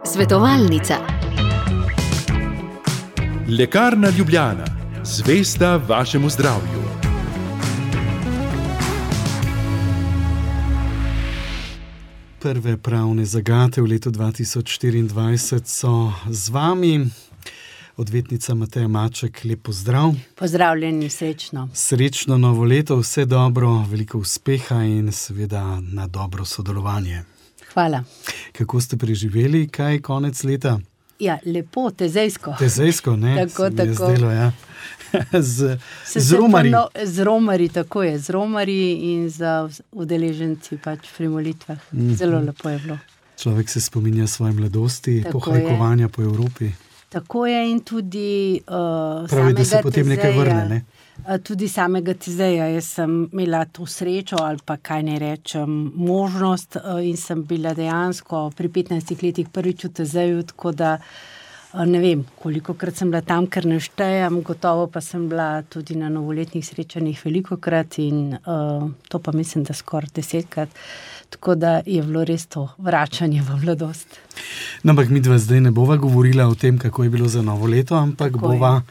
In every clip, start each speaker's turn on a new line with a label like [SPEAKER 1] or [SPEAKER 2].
[SPEAKER 1] Svetovalnica.
[SPEAKER 2] Lekarna Ljubljana. Zvesta vašemu zdravju.
[SPEAKER 3] Prve pravne zagate v letu 2024 so z vami. Odvetnica Mateja Maček, lep pozdrav.
[SPEAKER 4] Pozdravljeni, srečno.
[SPEAKER 3] Srečno novo leto, vse dobro, veliko uspeha in seveda na dobro sodelovanje.
[SPEAKER 4] Hvala.
[SPEAKER 3] Kako ste preživeli, kaj konec leta?
[SPEAKER 4] Ja, lepo, tezejsko.
[SPEAKER 3] Tezejsko, ne?
[SPEAKER 4] Tako.
[SPEAKER 3] Zdelo, ja. Z romarji.
[SPEAKER 4] Z romarji, tako je. Z romarji in za udeleženci pač pri molitvah. Zelo lepo je bilo.
[SPEAKER 3] Človek se spominja svoje mladosti, pohajkovanja po Evropi.
[SPEAKER 4] Tako je in tudi
[SPEAKER 3] pravi, da se potem nekaj vrne, ne?
[SPEAKER 4] Tudi samega Tezeja. Jaz sem imela to srečo ali pa kaj ne rečem, možnost in sem bila dejansko pri 15 letih prvič v Tezeju, tako da ne vem, kolikokrat sem bila tam, ker ne štejem, gotovo pa sem bila tudi na novoletnih srečanjih velikokrat in to pa mislim, da skoraj 10krat. Tako da je bilo res to vračanje v mladost.
[SPEAKER 3] No, ampak midva zdaj ne bova govorila o tem, kako je bilo za novo leto, ampak tako bova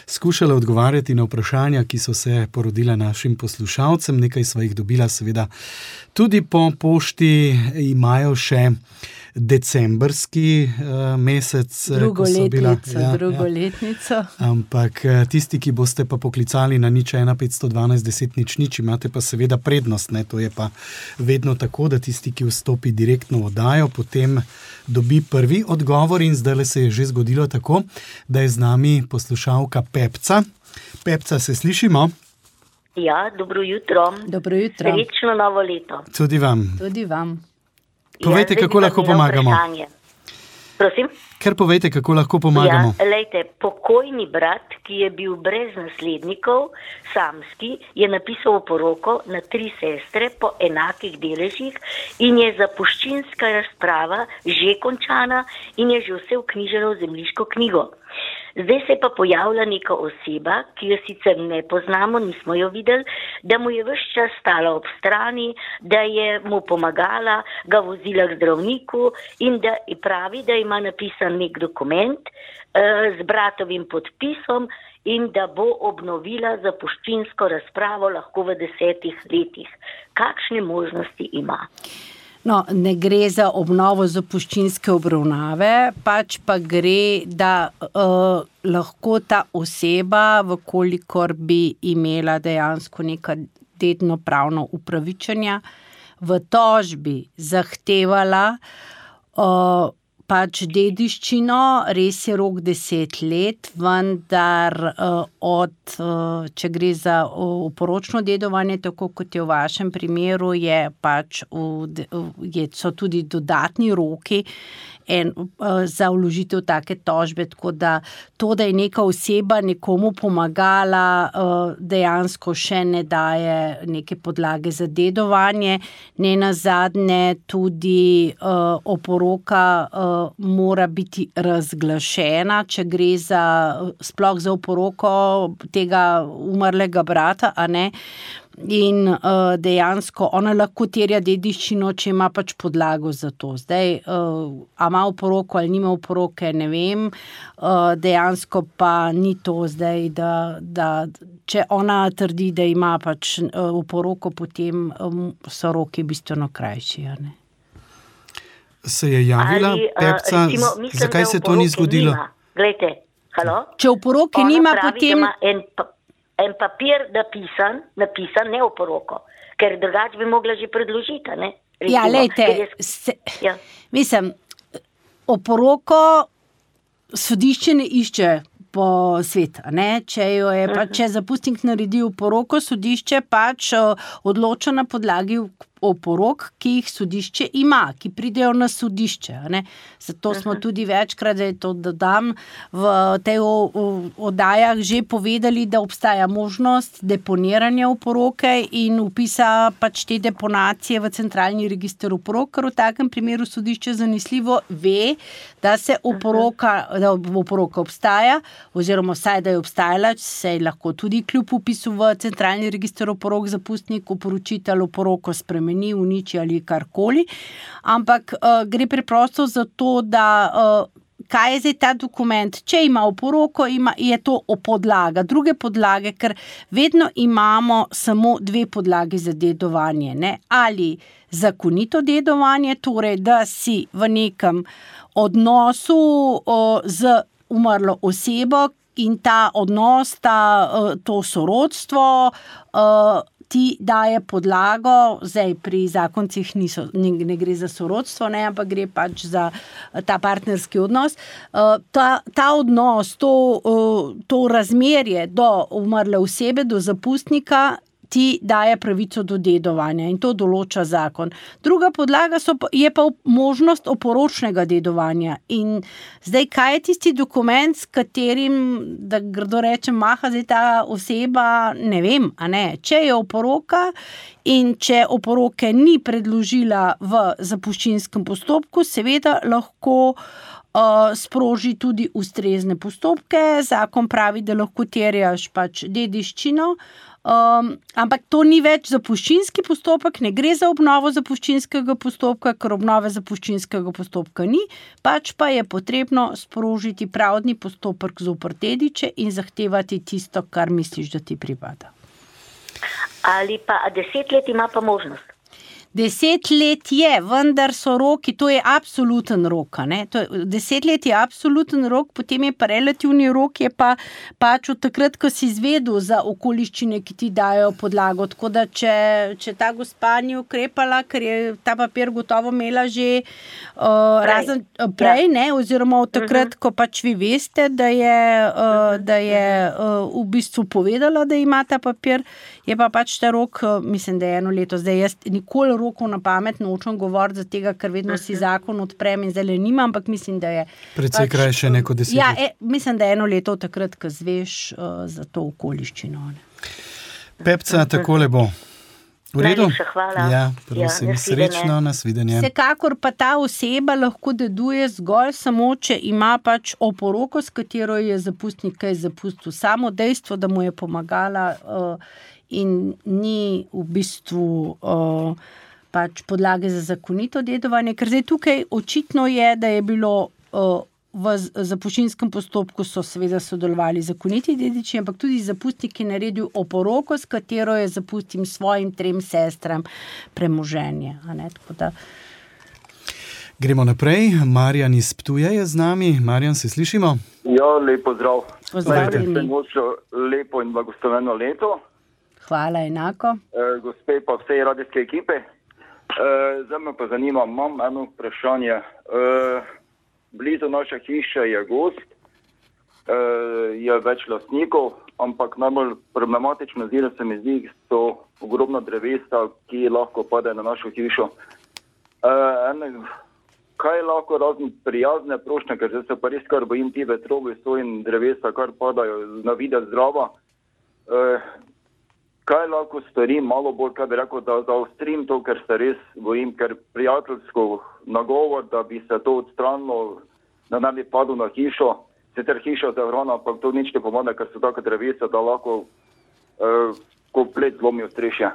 [SPEAKER 3] skušala odgovarjati na vprašanja, ki so se porodila našim poslušalcem. Nekaj sva jih dobila seveda tudi po pošti, imajo še decembrski mesec.
[SPEAKER 4] Drugoletnico.
[SPEAKER 3] Ampak tisti, ki boste pa poklicali na 01 512 10 00, imate pa seveda prednost, ne? To je pa vedno tako, da tisti, ki vstopi direktno v oddajo, potem dobi prvi odgovor in zdaj se je že zgodilo tako, da je z nami poslušalka Pepca. Pepca, se slišimo?
[SPEAKER 5] Ja, dobro jutro.
[SPEAKER 4] Dobro jutro.
[SPEAKER 5] Srečno novo leto.
[SPEAKER 3] Tudi vam.
[SPEAKER 4] Tudi vam.
[SPEAKER 3] Povejte, kako lahko pomagamo.
[SPEAKER 5] Prosim?
[SPEAKER 3] Ker povejte, kako lahko pomagamo.
[SPEAKER 5] Ja, lejte, pokojni brat, ki je bil brez naslednikov, samski, je napisal poroko na 3 sestre po enakih deležih in je zapuščinska razprava že končana in je že vse vknjiženo v zemljiško knjigo. Zdaj se je pa pojavila neka oseba, ki jo sicer ne poznamo, nismo jo videli, da mu je ves čas stala ob strani, da je mu pomagala, ga vozila k zdravniku in da pravi, da ima napisan nek dokument z bratovim podpisom in da bo obnovila zapuščinsko razpravo lahko v 10 letih. Kakšne možnosti ima?
[SPEAKER 4] No, ne gre za obnovo zapuščinske obravnave, pač pa gre, da lahko ta oseba, vkolikor bi imela dejansko neka dedno pravno upravičenja, v tožbi zahtevala pač dediščino, res je rok 10 let, vendar če gre za oporočno dedovanje, tako kot je v vašem primeru, so tudi dodatni roki za vložitev take tožbe, tako da to, da je neka oseba nekomu pomagala, dejansko še ne daje neke podlage za dedovanje. Nenazadnje tudi oporoka mora biti razglašena, če gre sploh za oporoko tega umrlega brata, a ne? In dejansko ona lahko terja dediščino, če ima pač podlago za to. Zdaj, a ima oporoko ali nima oporoke, ne vem. Dejansko pa ni to zdaj, da če ona trdi, da ima pač oporoko, potem so roki bistveno krajši, a ne?
[SPEAKER 3] Se je javila Pepca, zakaj se to ni zgodilo?
[SPEAKER 5] Glejte, halo?
[SPEAKER 4] Če oporoke nima, potem...
[SPEAKER 5] Ona pravi, da ima en papir napisan, ne oporoko, ker drugače bi mogla že predložiti, ne? Recimo,
[SPEAKER 4] ja, lejte, mislim, oporoko sodišče ne išče po svet, ne? Če zapustnik naredi oporoko, sodišče pač odloča na podlagi oporok, ki jih sodišče ima, ki pridejo na sodišče, ne? Zato smo tudi večkrat, da je to dodam, v tej oddajah že povedali, da obstaja možnost deponiranja oporoke in vpisa pač te deponacije v centralni register oporok, ker v takem primeru sodišče zanesljivo ve, da oporoka obstaja, oziroma vsaj, da je obstajala, se lahko tudi kljub vpisu v centralni register oporok zapustnik oporočitelj oporoko spremeni spremeni, uniči ali karkoli, ampak gre preprosto za to, da kaj je zdaj ta dokument, če ima oporoko, je to podlaga, druge podlage, ker vedno imamo samo 2 podlagi za dedovanje, ne? Ali zakonito dedovanje, torej da si v nekem odnosu z umrlo osebo in ta odnos, to sorodstvo ti daje podlago, zdaj pri zakoncih ne gre za sorodstvo, ne, ampak gre pač za ta partnerski odnos. Ta odnos, to razmerje do umrle osebe, do zapustnika, ti daje pravico do dedovanja in to določa zakon. Druga podlaga je pa možnost oporočnega dedovanja. In zdaj, kaj je tisti dokument, s katerim, da grdo rečem, maha zdaj ta oseba, ne vem, a ne. Če je oporoka in če oporoke ni predložila v zapuščinskem postopku, seveda lahko sproži tudi ustrezne postopke. Zakon pravi, da lahko terjaš pač dediščino, ampak to ni več zapuščinski postopek, ne gre za obnovo zapuščinskega postopka, ker obnove zapuščinskega postopka ni, pač pa je potrebno sprožiti pravdni postopek zoper dediče in zahtevati tisto, kar misliš, da ti pripada.
[SPEAKER 5] Ali pa 10 let ima pa možnost?
[SPEAKER 4] 10 let je, vendar so roki, to je absoluten rok, ne? 10 let je absoluten rok, potem je pa relativni rok, je pa pač od takrat, ko si izvedel za okoliščine, ki ti dajo podlago, tako da če ta gospa ni ukrepala, ker je ta papir gotovo imela že razen prej, ne, oziroma od takrat, ko pač vi veste, da je v bistvu povedala, da ima ta papir, je pa pač ta rok, mislim, da je 1 leto, zdaj jaz nikoli rokov na pamet nočem govoriti za tega, ker vedno si zakon odprem in zdaj nima, ampak mislim, da je
[SPEAKER 3] precej krajše neko 10 let.
[SPEAKER 4] Ja, mislim, da je 1 leto takrat, ko zveš za to okoliščino.
[SPEAKER 3] Pepca, takole bo. V redu?
[SPEAKER 5] Najlepša hvala.
[SPEAKER 3] Ja, prosim, srečno, nasvidenje.
[SPEAKER 4] Vsekakor pa ta oseba lahko deduje zgolj samo, če ima pač oporoko, s katero je zapustnik kaj zapustil. Samo dejstvo, da mu je pomagala in ni v bistvu pač podlage za zakonito dedovanje, ker zdaj tukaj očitno je, da je bilo v zapuščinskem postopku so seveda sodelovali zakoniti dediči, ampak tudi zapustnik je naredil oporoko, s katero je zapustil svojim 3 sestram premoženje. Tako da...
[SPEAKER 3] Gremo naprej. Marjan iz Ptuja je z nami. Marjan, se slišimo?
[SPEAKER 1] Ja, lepo zdrav.
[SPEAKER 4] Pozdravljeni.
[SPEAKER 1] Lepo in blagosloveno leto.
[SPEAKER 4] Hvala, enako.
[SPEAKER 1] Gospe pa vsej radijske ekipe. Zdaj me pa zanima, imam eno vprašanje. Blizu naša hiša je gozd, je več lastnikov, ampak najbolj problematično se mi zdi, so ogromna drevesa, ki lahko padajo na našo hišo. Kaj lahko razne prijazne prošnje, ker se pa res kar bojim ti vetrovi so in drevesa, kar padajo na videz zdrava. Kaj lahko storim, malo bolj, kaj bi rekel, da zaostrim to, ker se res bojim, ker prijateljsko nagovor, da bi se to odstranilo, da ne bi padlo na hišo, sicer hiša zavarovana, ampak to nič ne pomaga, ker so take drevesa, da lahko komplet zlomijo strešje.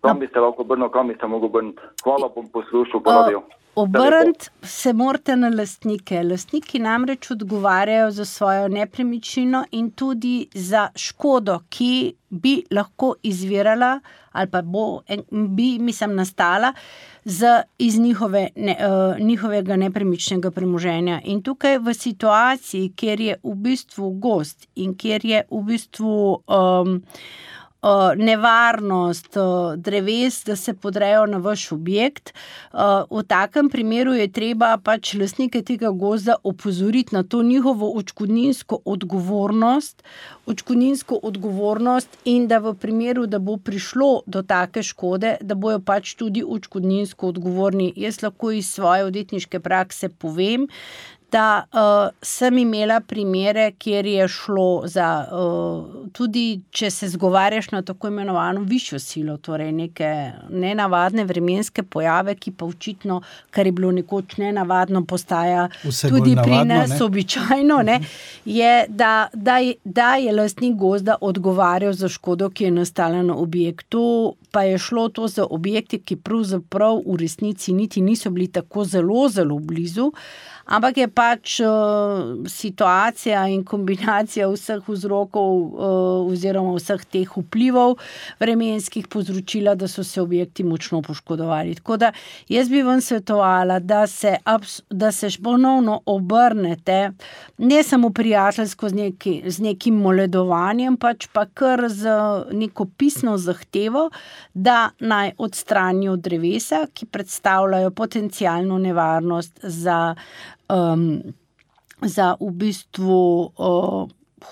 [SPEAKER 1] Kam bi se lahko obrnil, kam bi se mogel obrniti. Hvala, bom poslušal po radiju.
[SPEAKER 4] Obrniti se morate na lastnike. Lastniki namreč odgovarjajo za svojo nepremičnino in tudi za škodo, ki bi lahko izvirala ali pa bi nastala iz njihovega nepremičnega premoženja. In tukaj v situaciji, kjer je v bistvu gozd in kjer je v bistvu nevarnost dreves, da se podrejo na vaš objekt. V takem primeru je treba pač lastnike tega gozda opozoriti na to njihovo odškodninsko odgovornost in da v primeru, da bo prišlo do take škode, da bojo pač tudi odškodninsko odgovorni. Jaz lahko iz svoje odvetniške prakse povem, da sem imela primere, kjer je šlo za, tudi če se zgovarjaš na tako imenovano višjo silo, torej neke nenavadne vremenske pojave, ki pa očitno, kar je bilo nekoč nenavadno, postaja tudi pri nas običajno, je, da je lastnik gozda odgovarjal za škodo, ki je nastala na objektu. pa je šlo to za objekte, ki pravzaprav v resnici niti niso bili tako zelo, zelo blizu, ampak je pač situacija in kombinacija vseh vzrokov oziroma vseh teh vplivov vremenskih povzročila, da so se objekti močno poškodovali. Tako da jaz bi vam svetovala, da se ponovno obrnete, ne samo prijateljsko z nekim moledovanjem, pač pa kar z neko pisno zahtevo, da naj odstranijo drevesa, ki predstavljajo potencialno nevarnost za v bistvu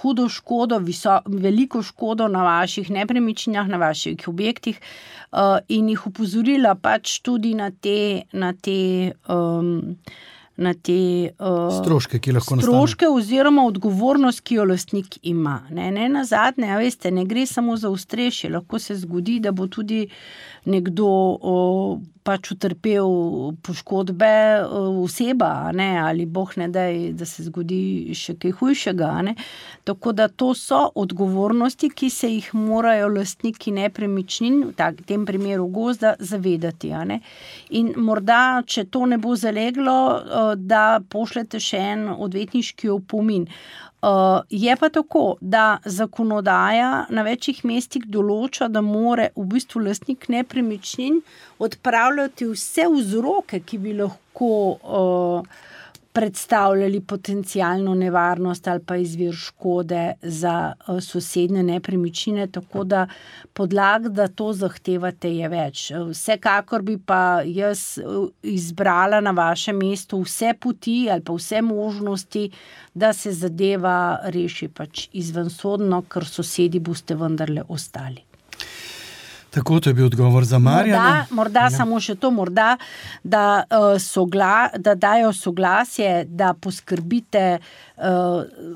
[SPEAKER 4] hudo škodo, veliko škodo na vaših nepremičninah, na vaših objektih in jih opozorila pač tudi na te
[SPEAKER 3] stroške, ki lahko nastane.
[SPEAKER 4] Stroške oziroma odgovornost, ki jo lastnik ima. Ne nazadnje, veste, ne gre samo za ostrešje, lahko se zgodi, da bo tudi nekdo pač utrpel poškodbe oseba, ne, ali boh ne daj, da se zgodi še kaj hujšega. Ne. Tako da to so odgovornosti, ki se jih morajo lastniki nepremičnin, v tem primeru gozda, zavedati. Ne. In morda, če to ne bo zaleglo, da pošljete še en odvetniški opomin. Je pa tako, da zakonodaja na večjih mestih določa, da more v bistvu lastnik nepremičnin odpravljati vse vzroke, ki bi lahko predstavljali potencialno nevarnost ali pa izvir škode za sosednje nepremičnine, tako da podlag, da to zahtevate, je več. Vsekakor bi pa jaz izbrala na vašem mestu vse poti ali pa vse možnosti, da se zadeva reši pač izvensodno, ker sosedi boste vendarle ostali.
[SPEAKER 3] Tako, to je bil odgovor za Marjana.
[SPEAKER 4] Morda samo še to, da dajo soglasje, da poskrbite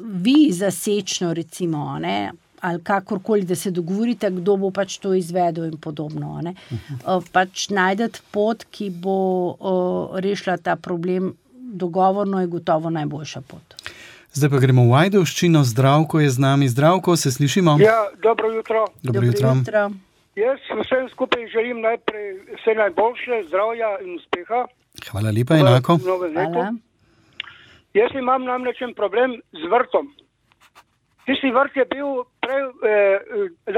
[SPEAKER 4] vi za sečno, recimo, ne, ali kakorkoli, da se dogovorite, kdo bo pač to izvedel in podobno. Ne. Pač najdete pot, ki bo rešila ta problem, dogovorno je gotovo najboljša pot.
[SPEAKER 3] Zdaj pa gremo v Ajdovščino. Zdravko je z nami. Zdravko, se slišimo?
[SPEAKER 6] Ja, dobro jutro.
[SPEAKER 3] Dobro jutro.
[SPEAKER 6] Jaz vsem skupaj želim najprej vse najboljše, zdravja in uspeha.
[SPEAKER 3] Hvala lepa, enako.
[SPEAKER 4] Hvala.
[SPEAKER 6] Jaz imam namreč problem z vrtom. Tisti vrt je bil prej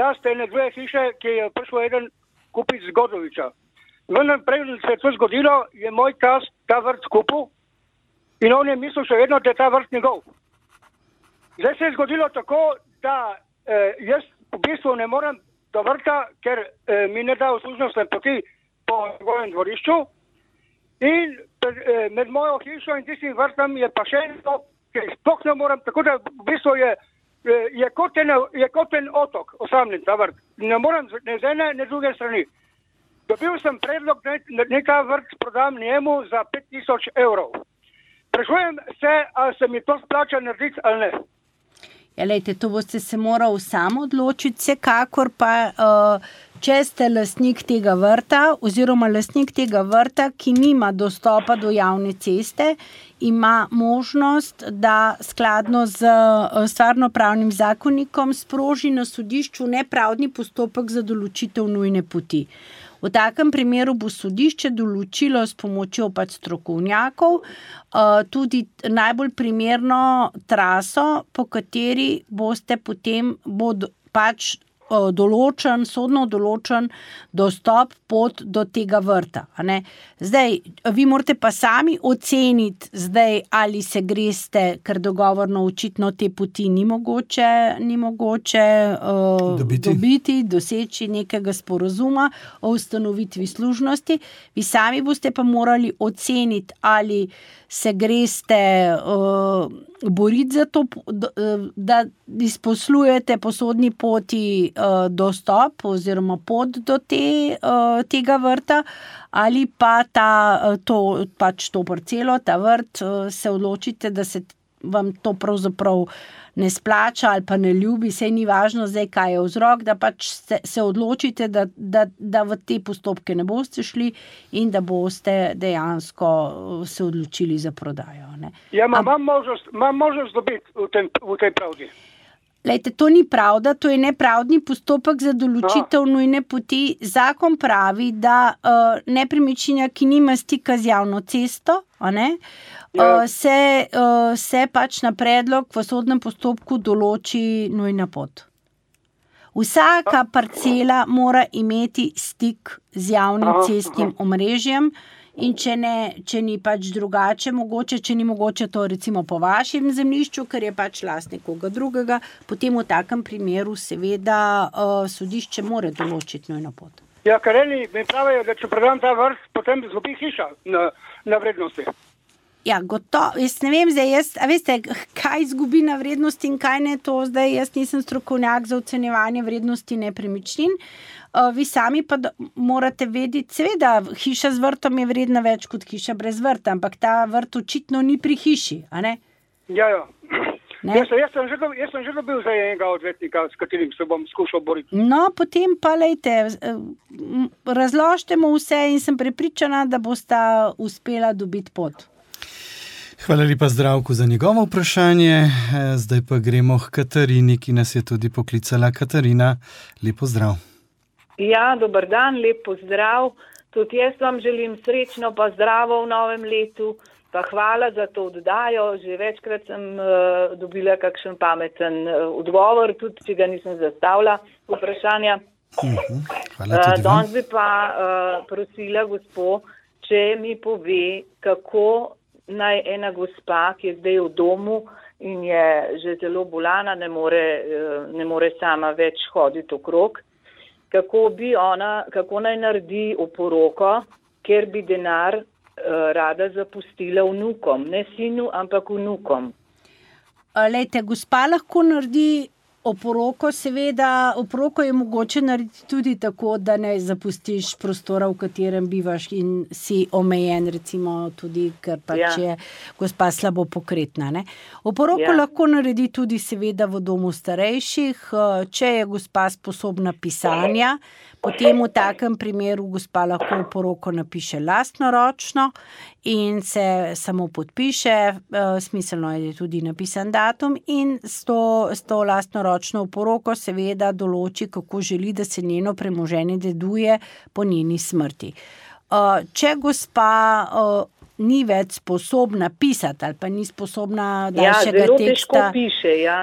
[SPEAKER 6] last ene dve hiše, ki je prišel eden kupit z Godoviča. Vendar prej se je to zgodilo, je moj tast ta vrt kupil in on je mislil še vedno, da je ta vrt njegov. Zdaj se je zgodilo tako, da jaz v bistvu ne morem do vrta, ker mi ne da uslužnostne poti po njegovem dvorišču in med mojo hišo in tistim vrtom je pa še eno, ker sploh ne morem, tako da v bistvu je kot en otok osamljen ta vrt. Ne morem ne z ene, ne z druge strani. Dobil sem predlog, da ta vrt prodam njemu za 5.000 evrov. Sprašujem se, ali se mi to splača narediti ali ne.
[SPEAKER 4] Ja, lejte, to boste se morali sam odločiti, vsekakor pa, če ste lastnik tega vrta oziroma lastnik tega vrta, ki nima dostopa do javne ceste, ima možnost, da skladno z stvarnopravnim zakonikom sproži na sodišču nepravdni postopek za določitev nujne poti. V takem primeru bo sodišče določilo s pomočjo pač strokovnjakov tudi najbolj primerno traso, po kateri boste potem pač sodno določen dostop pot do tega vrta. A ne? Zdaj, vi morate pa sami oceniti, zdaj, ali se greste, ker dogovorno očitno te poti ni mogoče dobiti, doseči nekega sporazuma o ustanovitvi služnosti. Vi sami boste pa morali oceniti, ali se greste boriti za to, da izposlujete po sodni poti dostop oziroma pot do tega vrta, ali pa to parcelo, ta vrt, se odločite, da se vam to pravzaprav ne splača ali pa ne ljubi, saj ni važno zdaj, kaj je vzrok, da pač se odločite, da v te postopke ne boste šli in da boste dejansko se odločili za prodajo. Ne.
[SPEAKER 6] Ja, imam možnost dobiti v tej pravdi.
[SPEAKER 4] Lejte, to ni pravda, to je nepravdni postopek za določitev nujne poti. Zakon pravi, da nepremičnina, ki nima stika z javno cesto, se pač na predlog v sodnem postopku določi nujna pot. Vsaka parcela mora imeti stik z javnim cestnim omrežjem in če ni pač drugače mogoče, če ni mogoče to recimo po vašem zemljišču, ker je pač last nekoga drugega, potem v takem primeru seveda sodišče mora določiti nujno pot.
[SPEAKER 6] Ja, ker eni mi pravijo, da če predam ta vrt, potem izgubi hiša na vrednosti.
[SPEAKER 4] Ja, gotovo. Jaz ne vem zdaj, veste, kaj izgubi na vrednosti in kaj ne to zdaj. Jaz nisem strokovnjak za ocenjevanje vrednosti nepremičnin. Vi sami pa morate vedeti, seveda, hiša z vrtom je vredna več kot hiša brez vrta, ampak ta vrt očitno ni pri hiši, a ne?
[SPEAKER 6] Ja. Jaz sem že dobil za enega odvetnika, s katerim se bom skušal boriti.
[SPEAKER 4] No, potem pa lejte, razložite mu vse in sem prepričana, da bosta uspela dobiti pot.
[SPEAKER 3] Hvala lepa Zdravku za njegovo vprašanje. Zdaj pa gremo k Katarini, ki nas je tudi poklicala. Katarina, lep pozdrav.
[SPEAKER 7] Ja, dober dan, lep pozdrav. Tudi jaz vam želim srečno pa zdravo v novem letu. Pa hvala za to oddajo. Že večkrat sem dobila kakšen pameten odgovor, tudi če ga nisem zastavila vprašanja.
[SPEAKER 3] Hvala tudi vam.
[SPEAKER 7] Danes bi pa prosila gospo, če mi pove, kako naj ena gospa, ki je zdaj v domu in je že zelo bolana, ne more sama več hoditi okrog, kako naj naredi oporoko, ker bi denar rada zapustila vnukom, ne sinu, ampak vnukom.
[SPEAKER 4] Lejte, gospa lahko naredi oporoko, seveda, oporoko je mogoče narediti tudi tako, da ne zapustiš prostora, v katerem bivaš in si omejen, recimo tudi, ker pač je gospa slabo pokretna. Ne? Oporoko lahko naredi tudi seveda v domu starejših, če je gospa sposobna pisanja, potem v takem primeru gospa lahko oporoko napiše lastnoročno in se samo podpiše, smiselno je tudi napisan datum in s to lastnoročno oporoko seveda določi, kako želi, da se njeno premoženje deduje po njeni smrti. Če gospa ni več sposobna pisati ali pa ni sposobna daljšega teksta,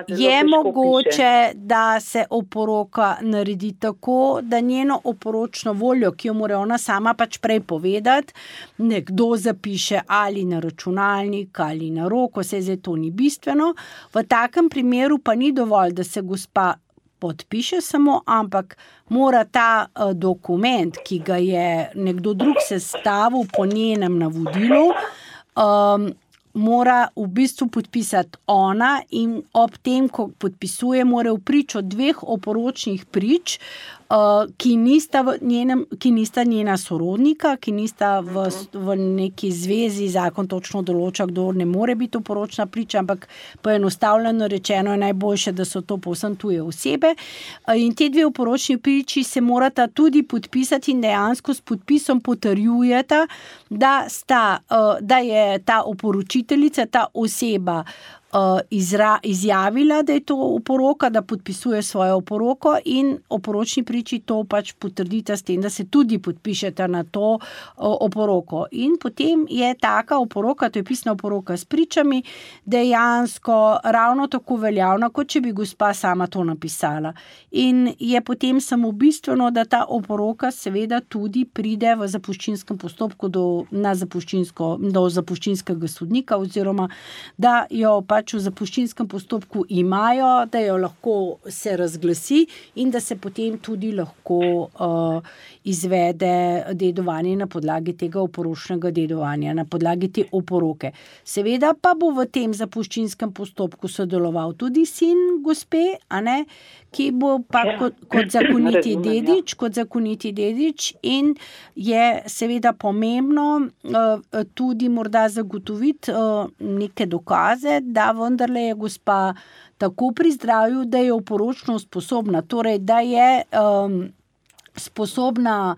[SPEAKER 4] je mogoče, da se oporoka naredi tako, da njeno oporočno voljo, ki jo mora ona sama pač prej povedati, nekdo zapiše ali na računalnik ali na roko, se zdaj to ni bistveno. V takem primeru pa ni dovolj, da se gospa podpiše samo, ampak mora ta dokument, ki ga je nekdo drug sestavil po njenem navodilu, mora v bistvu podpisati ona in ob tem, ko podpisuje, mora vpričo 2 oporočnih prič, ki nista njena sorodnika, ki nista v neki zvezi, zakon točno določa, kdo ne more biti oporočna priča, ampak poenostavljeno rečeno je najboljše, da so to povsem tuje osebe. In te 2 oporočni priči se morata tudi podpisati in dejansko s podpisom potrjujeta, da je ta oporočiteljica, ta oseba izjavila, da je to oporoka, da podpisuje svojo oporoko in oporočni priči to pač potrdita s tem, da se tudi podpišeta na to oporoko. In potem je taka oporoka, to je pisna oporoka s pričami, dejansko ravno tako veljavna, kot če bi gospa sama to napisala. In je potem samo bistveno, da ta oporoka seveda tudi pride v zapuščinskem postopku do zapuščinskega sodnika oziroma da jo pač v zapuščinskem postopku imajo, da jo lahko se razglasi in da se potem tudi lahko izvede dedovanje na podlagi tega oporočnega dedovanja, na podlagi te oporoke. Seveda pa bo v tem zapuščinskem postopku sodeloval tudi sin gospe, ki bo pa kot zakoniti dedič in je seveda pomembno tudi morda zagotoviti neke dokaze, da vendarle je gospa tako pri zdravju, da je oporočno sposobna, torej da je sposobna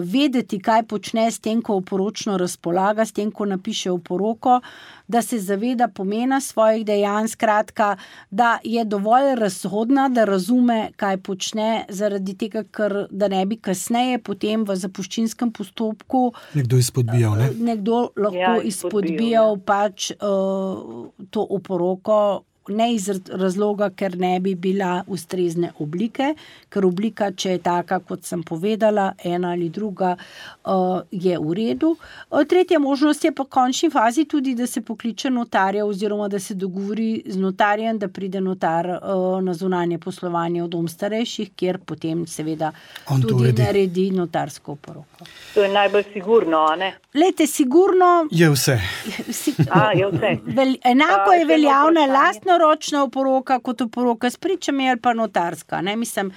[SPEAKER 4] vedeti, kaj počne s tem, ko oporočno razpolaga, s tem, ko napiše oporoko, da se zaveda pomena svojih dejanj, skratka, da je dovolj razhodna, da razume, kaj počne, zaradi tega, ker da ne bi kasneje potem v zapuščinskem postopku
[SPEAKER 3] nekdo izpodbijal, ne?
[SPEAKER 4] Nekdo lahko izpodbijal pač to oporoko, ne iz razloga, ker ne bi bila ustrezne oblike, ker oblika, če je taka, kot sem povedala, ena ali druga, je v redu. Tretja možnost je pa v končni fazi tudi, da se pokliče notarja oziroma da se dogovori z notarjem, da pride notar na zunanje poslovanje v dom starejših, kjer potem seveda tudi naredi notarsko oporoko.
[SPEAKER 7] To je najbolj sigurno, a ne?
[SPEAKER 4] Lejte, sigurno
[SPEAKER 3] je vse.
[SPEAKER 7] Je vse.
[SPEAKER 4] Enako je veljavna lastnoročna oporoka kot oporoka s pričami ali pa notarska. Ne? Mislim,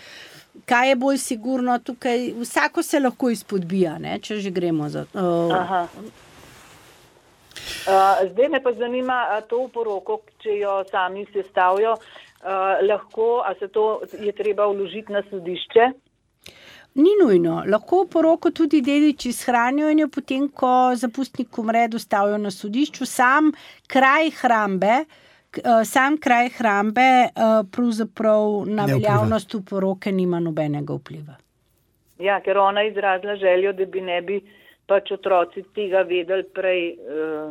[SPEAKER 4] kaj je bolj sigurno tukaj? Vsako se lahko izpodbija, ne? Če že gremo za...
[SPEAKER 7] Zdaj me pa zanima to oporoko, če jo sami sestavijo, lahko, a se to je treba vložiti na sodišče?
[SPEAKER 4] Ni nujno. Lahko oporoko tudi dediči shranijo in jo potem, ko zapustnik umre, dostavijo na sodišču. Sam kraj hrambe pravzaprav na veljavnost oporoke nima nobenega vpliva.
[SPEAKER 7] Ja, ker ona izrazila željo, da ne bi pač otroci tega vedeli prej,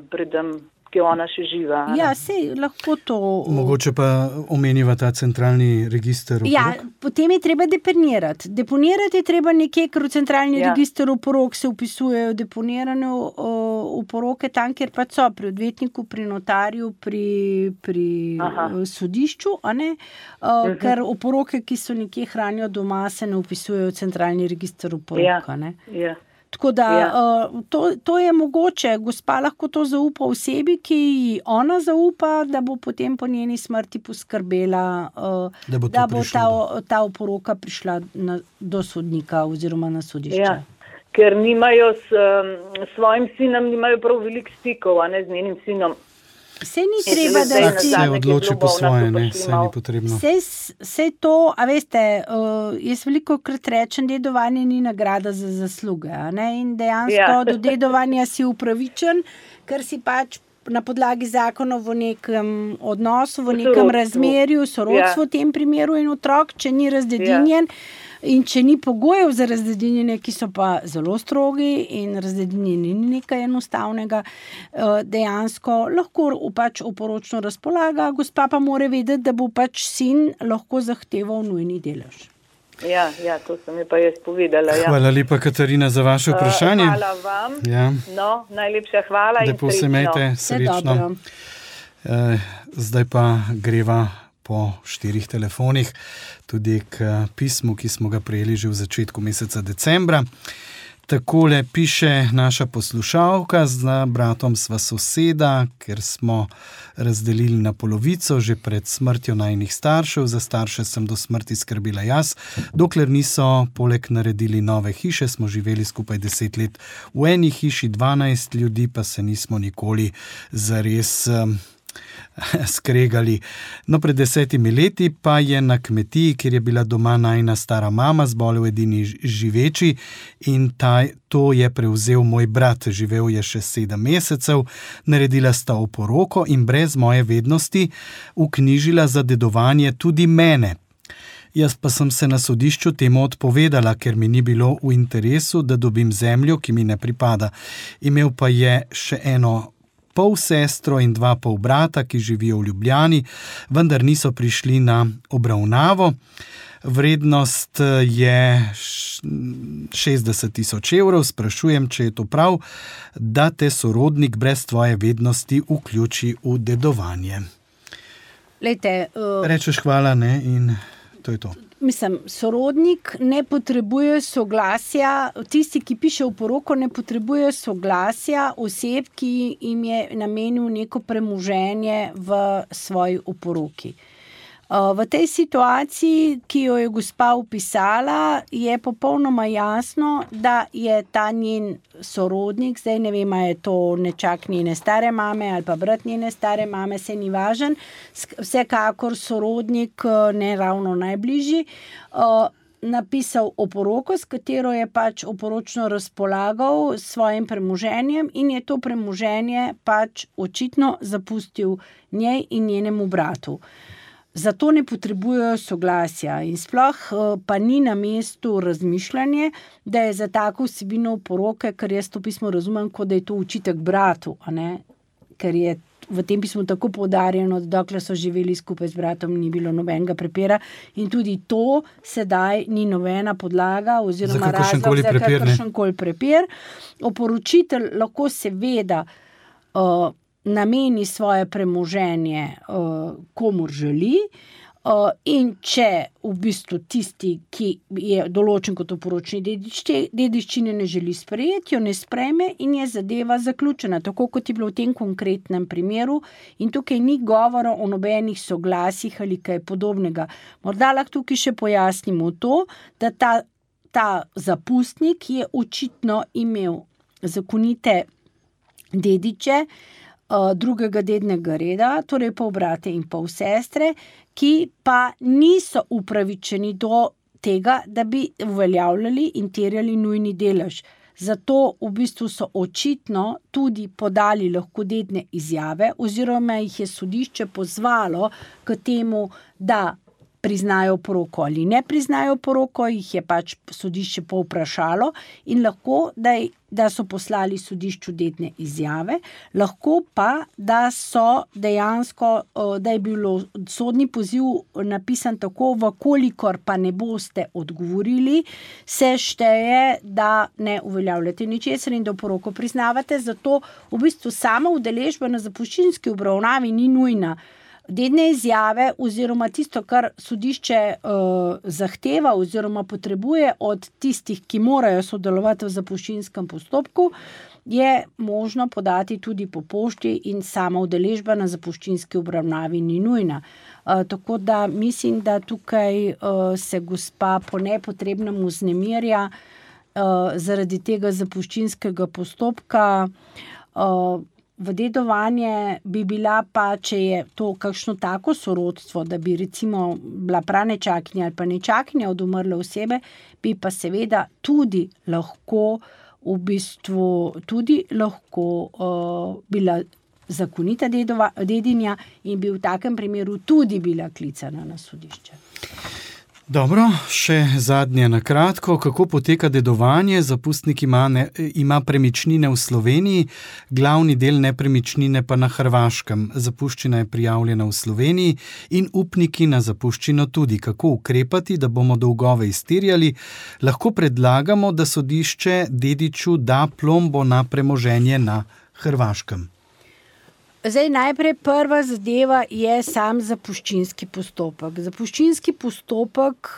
[SPEAKER 7] predem, ki je ona še živa.
[SPEAKER 4] Ja, sej lahko to...
[SPEAKER 3] Mogoče pa omeniva ta centralni register oporok?
[SPEAKER 4] Ja, potem je treba deponirati. Deponirati je treba nekje, ker v centralni register oporok se upisujejo deponirane oporoke tam, kjer pa so pri odvetniku, pri notarju, pri sodišču, a ne? Ker oporoke, ki so nekje hranijo doma, se ne upisujejo v centralni register oporok, a ne?
[SPEAKER 7] Ja.
[SPEAKER 4] Tako da to je mogoče, gospa lahko to zaupa osebi, ki ji ona zaupa, da bo potem po njeni smrti poskrbela, da bo ta oporoka prišla do sodnika oziroma na sodišče.
[SPEAKER 7] Ja, ker nimajo s svojim sinom, nimajo prav veliko stikov, a ne z njenim sinom.
[SPEAKER 4] Sej ni treba, da
[SPEAKER 3] je se odloči po svoje, ne, sej ni potrebno.
[SPEAKER 4] Sej to, a veste, jaz veliko krat rečem, dedovanje ni nagrada za zasluge, a ne, in dejansko do dedovanja si upravičen, ker si pač na podlagi zakonov v nekem odnosu, v nekem razmerju, sorodstvo v tem primeru in otrok, če ni razdedinjen, in če ni pogojev za razdedinjenje, ki so pa zelo strogi in razdedinjenje ni nekaj enostavnega, dejansko lahko pač oporočno razpolaga, gospa pa mora vedeti, da bo pač sin lahko zahteval nujni delež.
[SPEAKER 7] Ja, to sem je pa jaz povedala. Ja.
[SPEAKER 3] Hvala lepa, Katarina, za vaše vprašanje.
[SPEAKER 7] Hvala vam.
[SPEAKER 3] Ja.
[SPEAKER 7] No, najlepša hvala
[SPEAKER 3] lepo in srečno. Lepo se imejte, srečno. Zdaj pa greva po 4 telefonih, tudi k pismu, ki smo ga prejeli že v začetku meseca decembra. Takole piše naša poslušalka: z bratom sva soseda, ker smo razdelili na polovico že pred smrtjo najinih staršev. Za starše sem do smrti skrbila jaz. Dokler niso poleg naredili nove hiše, smo živeli skupaj 10 let v eni hiši, 12 ljudi pa se nismo nikoli zares skregali. No, pred 10 leti pa je na kmetiji, kjer je bila doma najina stara mama, zbolel edini živeči in to je prevzel moj brat. Živel je še 7 mesecev, naredila sta oporoko in brez moje vednosti vknjižila za dedovanje tudi mene. Jaz pa sem se na sodišču temu odpovedala, ker mi ni bilo v interesu, da dobim zemljo, ki mi ne pripada. Imel pa je še eno pol sestro in 2 pol brata, ki živijo v Ljubljani, vendar niso prišli na obravnavo. Vrednost je 60 000 evrov. Sprašujem, če je to prav, da te sorodnik brez tvoje vednosti vključi v dedovanje.
[SPEAKER 4] Lejte,
[SPEAKER 3] rečeš hvala, ne, in to je to.
[SPEAKER 4] Mislim, sorodnik ne potrebuje soglasja, tisti, ki piše oporoko, ne potrebuje soglasja oseb, ki jim je namenil neko premoženje v svoji oporoki. V tej situaciji, ki jo je gospa opisala, je popolnoma jasno, da je ta njen sorodnik, zdaj ne vem, je to nečak njene stare mame ali pa brat njene stare mame, se ni važen, vsekakor sorodnik ne ravno najbližji, napisal oporoko, s katero je pač oporočno razpolagal s svojim premoženjem in je to premoženje pač očitno zapustil njej in njenemu bratu. Zato ne potrebujejo soglasja in sploh pa ni na mestu razmišljanje, da je za tako vsebino oporoke, ker jaz to pismo razumem, kot da je to očitek bratu, a ne? Ker je v tem pismu tako poudarjeno, da dokler so živeli skupaj z bratom, ni bilo nobenega prepira in tudi to sedaj ni nobena podlaga oziroma razlog za kakršenkoli prepir. Oporočitelj lahko seveda nameni svoje premoženje komur želi in če v bistvu tisti, ki je določen kot oporočni dedič, dediščine ne želi sprejeti, jo ne sprejme in je zadeva zaključena, tako kot je bilo v tem konkretnem primeru in tukaj ni govora o nobenih soglasjih ali kaj podobnega. Morda lahko tukaj še pojasnimo to, da ta zapustnik je očitno imel zakonite dediče, drugega dednega reda, torej pol brate in pol sestre, ki pa niso upravičeni do tega, da bi uveljavljali in terjali nujni delež. Zato v bistvu so očitno tudi podali lahko dedne izjave oziroma jih je sodišče pozvalo k temu, da priznajo poroko ali ne priznajo poroko, jih je pač sodišče povprašalo in lahko, da so poslali sodišču dedne izjave, lahko pa, da so dejansko, da je bilo sodni poziv napisan tako, vkolikor pa ne boste odgovorili, se šteje, da ne uveljavljate ničesar in da poroko priznavate, zato v bistvu sama udeležba na zapuščinski obravnavi ni nujna. Dedne izjave oziroma tisto, kar sodišče zahteva oziroma potrebuje od tistih, ki morajo sodelovati v zapuščinskem postopku, je možno podati tudi po pošti in sama udeležba na zapuščinski obravnavi ni nujna. Tako da mislim, da tukaj se gospa po nepotrebnem vznemirja zaradi tega zapuščinskega postopka. V dedovanje bi bila pa, če je to kakšno tako sorodstvo, da bi recimo bila pranečakinja ali pa nečakinja od umrle osebe, bi pa seveda tudi lahko v bistvu bila zakonita dedinja in bi v takem primeru tudi bila klicana na sodišče.
[SPEAKER 3] Dobro, še zadnje na kratko. Kako poteka dedovanje? Zapustnik ima premičnine v Sloveniji, glavni del nepremičnine pa na Hrvaškem. Zapuščina je prijavljena v Sloveniji in upniki na zapuščino tudi. Kako ukrepati, da bomo dolgove izterjali? Lahko predlagamo, da sodišče dediču da plombo na premoženje na Hrvaškem.
[SPEAKER 4] Zdaj, najprej prva zadeva je sam zapuščinski postopek. Zapuščinski postopek,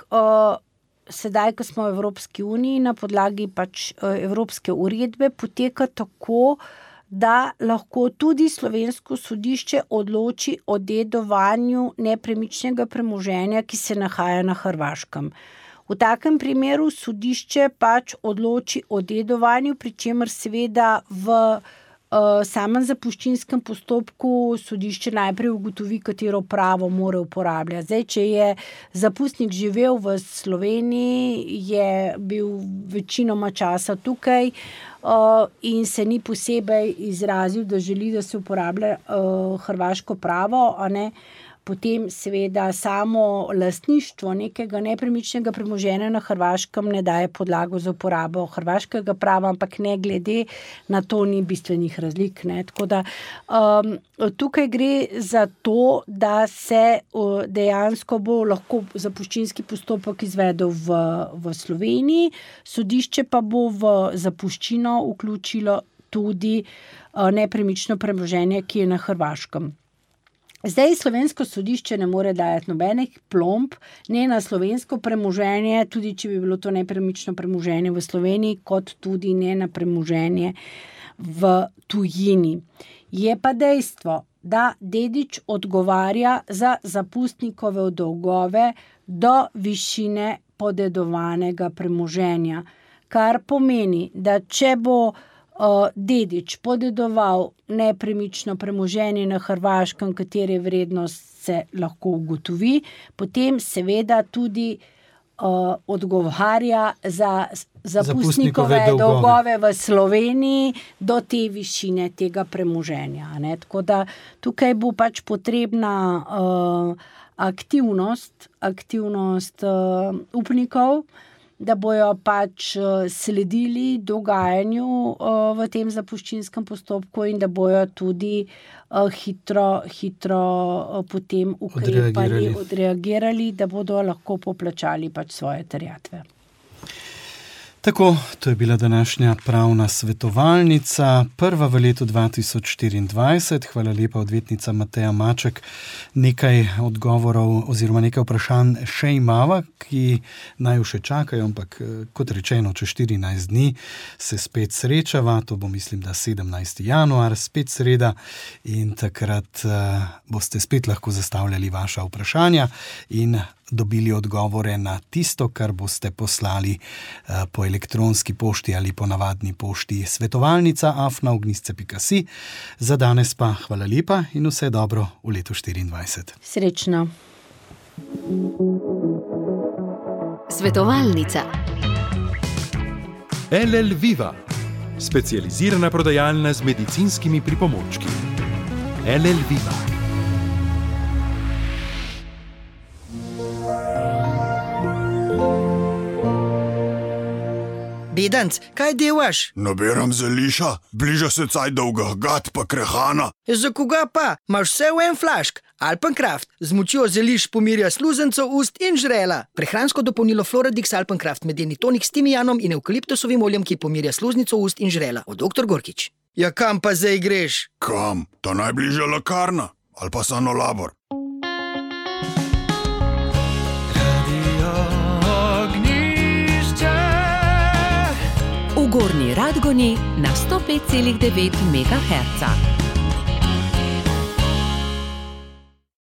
[SPEAKER 4] sedaj, ko smo v Evropski uniji, na podlagi pač evropske uredbe, poteka tako, da lahko tudi slovensko sodišče odloči o dedovanju nepremičnega premoženja, ki se nahaja na Hrvaškem. V takem primeru sodišče pač odloči o dedovanju, pri čemer seveda v samem zapuščinskem postopku sodišče najprej ugotovi, katero pravo mora uporabljati. Zdaj, če je zapustnik živel v Sloveniji, je bil večinoma časa tukaj in se ni posebej izrazil, da želi, da se uporablja hrvaško pravo, a ne, potem seveda samo lastništvo nekega nepremičnega premoženja na Hrvaškem ne daje podlago za uporabo hrvaškega prava, ampak ne glede na to ni bistvenih razlik. Ne. Tako da tukaj gre za to, da se dejansko bo lahko zapuščinski postopek izvedel v Sloveniji, sodišče pa bo v zapuščino vključilo tudi nepremično premoženje, ki je na Hrvaškem. Zdaj slovensko sodišče ne more dajati nobenih plomb, ne na slovensko premoženje, tudi če bi bilo to nepremično premoženje v Sloveniji, kot tudi ne na premoženje v tujini. Je pa dejstvo, da dedič odgovarja za zapustnikove dolgove do višine podedovanega premoženja, kar pomeni, da če bo dedič podedoval nepremično premoženje na Hrvaškem, katere vrednost se lahko ugotovi, potem seveda tudi odgovarja za zapustnikove dolgove v Sloveniji do te višine tega premoženja. Ne? Tako da tukaj bo pač potrebna aktivnost upnikov, da bojo pač sledili dogajanju v tem zapuščinskem postopku in da bojo tudi hitro potem ukrepali, odreagirali, da bodo lahko poplačali pač svoje terjatve.
[SPEAKER 3] Tako, to je bila današnja pravna svetovalnica, prva v letu 2024. Hvala lepa, odvetnica Mateja Maček. Nekaj odgovorov oziroma nekaj vprašanj še imava, ki naj še čakajo, ampak kot rečeno, čez 14 dni se spet srečava, to bo mislim, da 17. januar, spet sreda in takrat boste spet lahko zastavljali vaša vprašanja in dobili odgovore na tisto, kar boste poslali po elektronski pošti ali po navadni pošti svetovalnica@ognisce.si. Za danes pa hvala lepa in vse dobro v letu 2024.
[SPEAKER 4] Srečno.
[SPEAKER 8] Svetovalnica.
[SPEAKER 2] LL Viva, specializirana prodajalna z medicinskimi pripomočki. LL Viva.
[SPEAKER 9] Bedanc, kaj delaš?
[SPEAKER 10] Nabiram zeliša, bliža se caj dolga gat pa krehana.
[SPEAKER 9] Za koga pa? Imaš vse v en flašk. Alpencraft z močjo zeliš pomirja sluzencev, ust in žrela. Prehransko dopolnilo Floradix Alpencraft medeni tonik s timijanom in evkaliptusovim oljem, ki pomirja sluznico, ust in žrela. Od dr. Gorkič. Ja, kam pa zdaj greš?
[SPEAKER 10] Kam? Ta najbližja lekarna. Ali pa Sanolabor.
[SPEAKER 8] V Gornji Radgoni na 105,9 MHz.